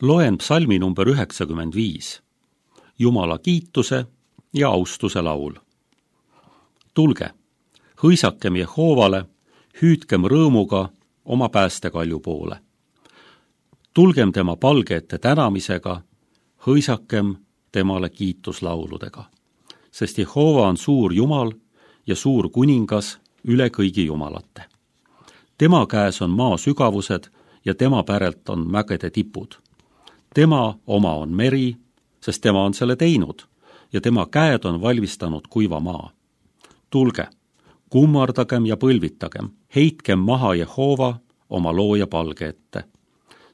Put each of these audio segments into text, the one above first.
Loen psalmi number 95, Jumala kiituse ja austuse laul. Tulge, hõisakem Jehoovale, hüüdkem rõõmuga oma päästekalju poole. Tulgem tema palge ette tänamisega, hõisakem temale kiituslauludega. Sest Jehova on suur Jumal ja suur kuningas üle kõigi jumalate. Tema käes on maa sügavused ja tema pärelt on mägede tipud. Tema oma on meri, sest tema on selle teinud ja tema käed on valmistanud kuiva maa. Tulge, kummardagem ja põlvitagem, heitkem maha Jehova oma looja palge ette,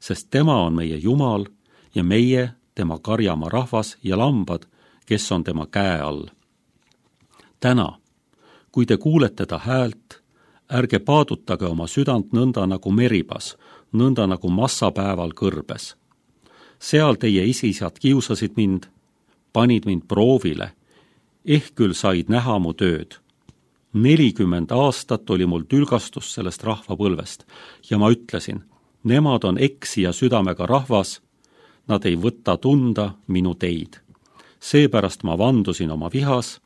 sest tema on meie Jumal ja meie tema karjamaa rahvas ja lambad, kes on tema käe all. Täna, kui te kuulete ta häält, ärge paadutage oma südant nõnda nagu meribas, nõnda nagu massapäeval kõrbes. Seal teie isisad kiusasid mind, panid mind proovile, ehk küll said näha mu tööd. 40 aastat oli mul tülgastus sellest rahvapõlvest ja ma ütlesin, nemad on eksija südamega rahvas, nad ei võta tunda minu teid. Seepärast ma vandusin oma vihas,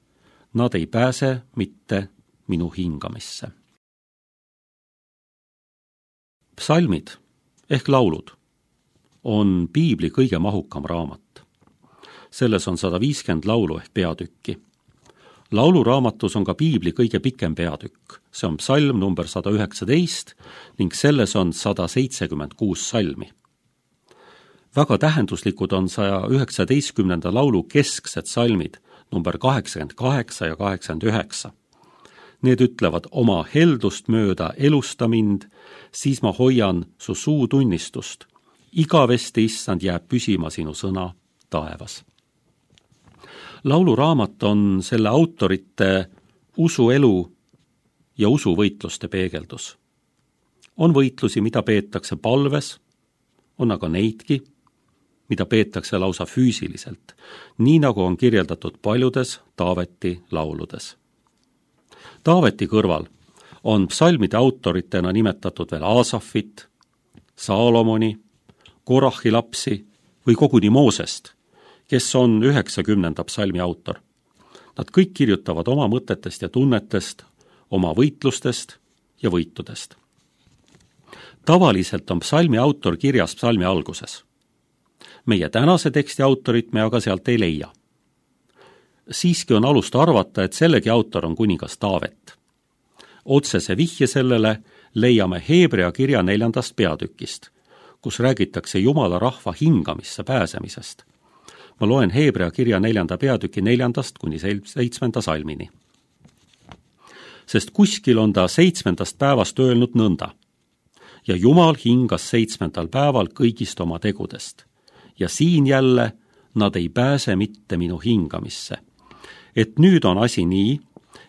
nad ei pääse mitte minu hingamisse. Psalmid ehk laulud on piibli kõige mahukam raamat. Selles on 150 laulu ehk peatükki. Lauluraamatus on ka piibli kõige pikem peatükk. See on psalm number 119 ning selles on 176 salmi. Väga tähenduslikud on 119. laulu kesksed salmid number 88 ja 89. Need ütlevad oma heldust mööda elusta mind, siis ma hoian su suu tunnistust. Igavesti, issand, jääb püsima sinu sõna taevas. Lauluraamat on selle autorite usuelu ja usuvõitluste peegeldus. On võitlusi, mida peetakse palves, on aga neidki, mida peetakse lausa füüsiliselt, nii nagu on kirjeldatud paljudes Taaveti lauludes. Taaveti kõrval on psalmide autoritena nimetatud veel Aasafit, Saalomoni, Korahi lapsi või koguni Moosest, kes on 90. psalmi autor. Nad kõik kirjutavad oma mõtetest ja tunnetest, oma võitlustest ja võitudest. Tavaliselt on psalmi autor kirjas psalmi alguses. Meie tänase teksti autorit me aga sealt ei leia. Siiski on alust arvata, et sellegi autor on kuningas Taavet. Otsese vihje sellele leiame Heebrea kirja 4. peatükist, kus räägitakse Jumala rahva hingamisse pääsemisest. Ma loen Heebrea kirja 4. peatüki 4. kuni 7. salmini. Sest kuskil on ta 7. päevast öelnud nõnda. Ja Jumal hingas 7. päeval kõigist oma tegudest. Ja siin jälle nad ei pääse mitte minu hingamisse. Et nüüd on asi nii,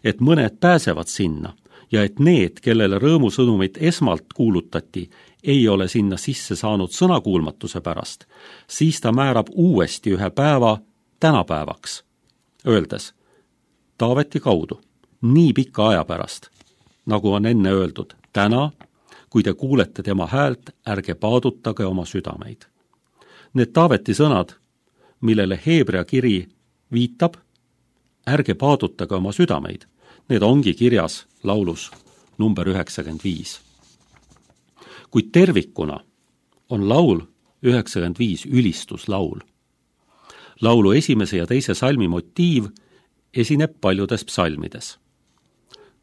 et mõned pääsevad sinna ja et need, kellele rõõmusõnumit esmalt kuulutati, ei ole sinna sisse saanud sõnakuulmatuse pärast, siis ta määrab uuesti ühe päeva tänapäevaks, öeldes Taaveti kaudu, nii pika aja pärast, nagu on enne öeldud, täna, kui te kuulete tema häält, ärge paadutage oma südameid. Need Taaveti sõnad, millele Heebrea kiri viitab, ärge paadutage oma südameid, need ongi kirjas laulus number 95. Kuid tervikuna on laul 95 ülistuslaul. Laulu 1. ja 2. salmi motiiv esineb paljudes psalmides.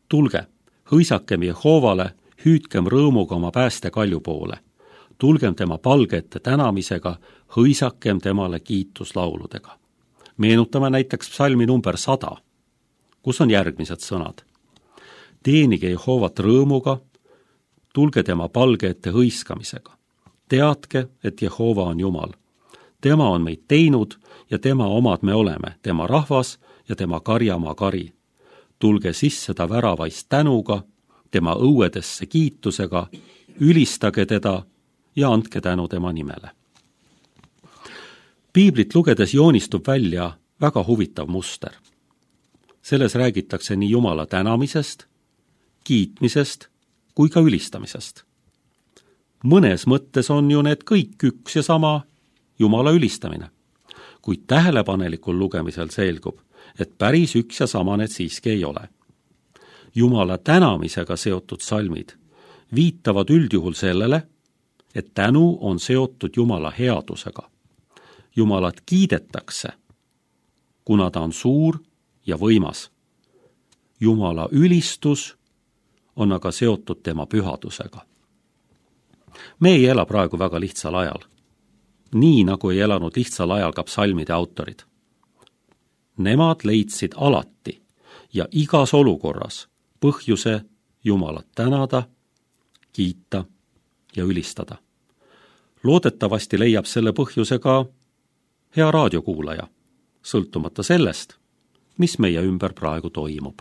Tulge, hõisakem Jehoovale, hüüdkem rõõmuga oma päästekalju poole. Tulgem tema palge ette tänamisega, hõisakem temale kiituslauludega. Meenutame näiteks psalmi number 100, kus on järgmised sõnad. Teenige Jehovat rõõmuga, tulge tema palge ette hõiskamisega. Teadke, et Jehova on Jumal. Tema on meid teinud ja tema omad me oleme, tema rahvas ja tema karjamaa kari. Tulge sisse ta väravaist tänuga, tema õuedesse kiitusega, ülistage teda ja andke tänu tema nimele. Piiblit lugedes joonistub välja väga huvitav muster. Selles räägitakse nii Jumala tänamisest, kiitmisest kui ka ülistamisest. Mõnes mõttes on ju need kõik üks ja sama, Jumala ülistamine. Kuid tähelepanelikul lugemisel selgub, et päris üks ja sama need siiski ei ole. Jumala tänamisega seotud salmid viitavad üldjuhul sellele, et tänu on seotud Jumala headusega. Jumalat kiidetakse, kuna ta on suur ja võimas. Jumala ülistus on aga seotud tema pühadusega. Me ei ela praegu väga lihtsal ajal, nii nagu ei elanud lihtsal ajal ka psalmide autorid. Nemad leidsid alati ja igas olukorras põhjuse Jumalat tänada, kiita ja ülistada. Loodetavasti leiab selle põhjuse ka hea raadiokuulaja, sõltumata sellest, mis meie ümber praegu toimub.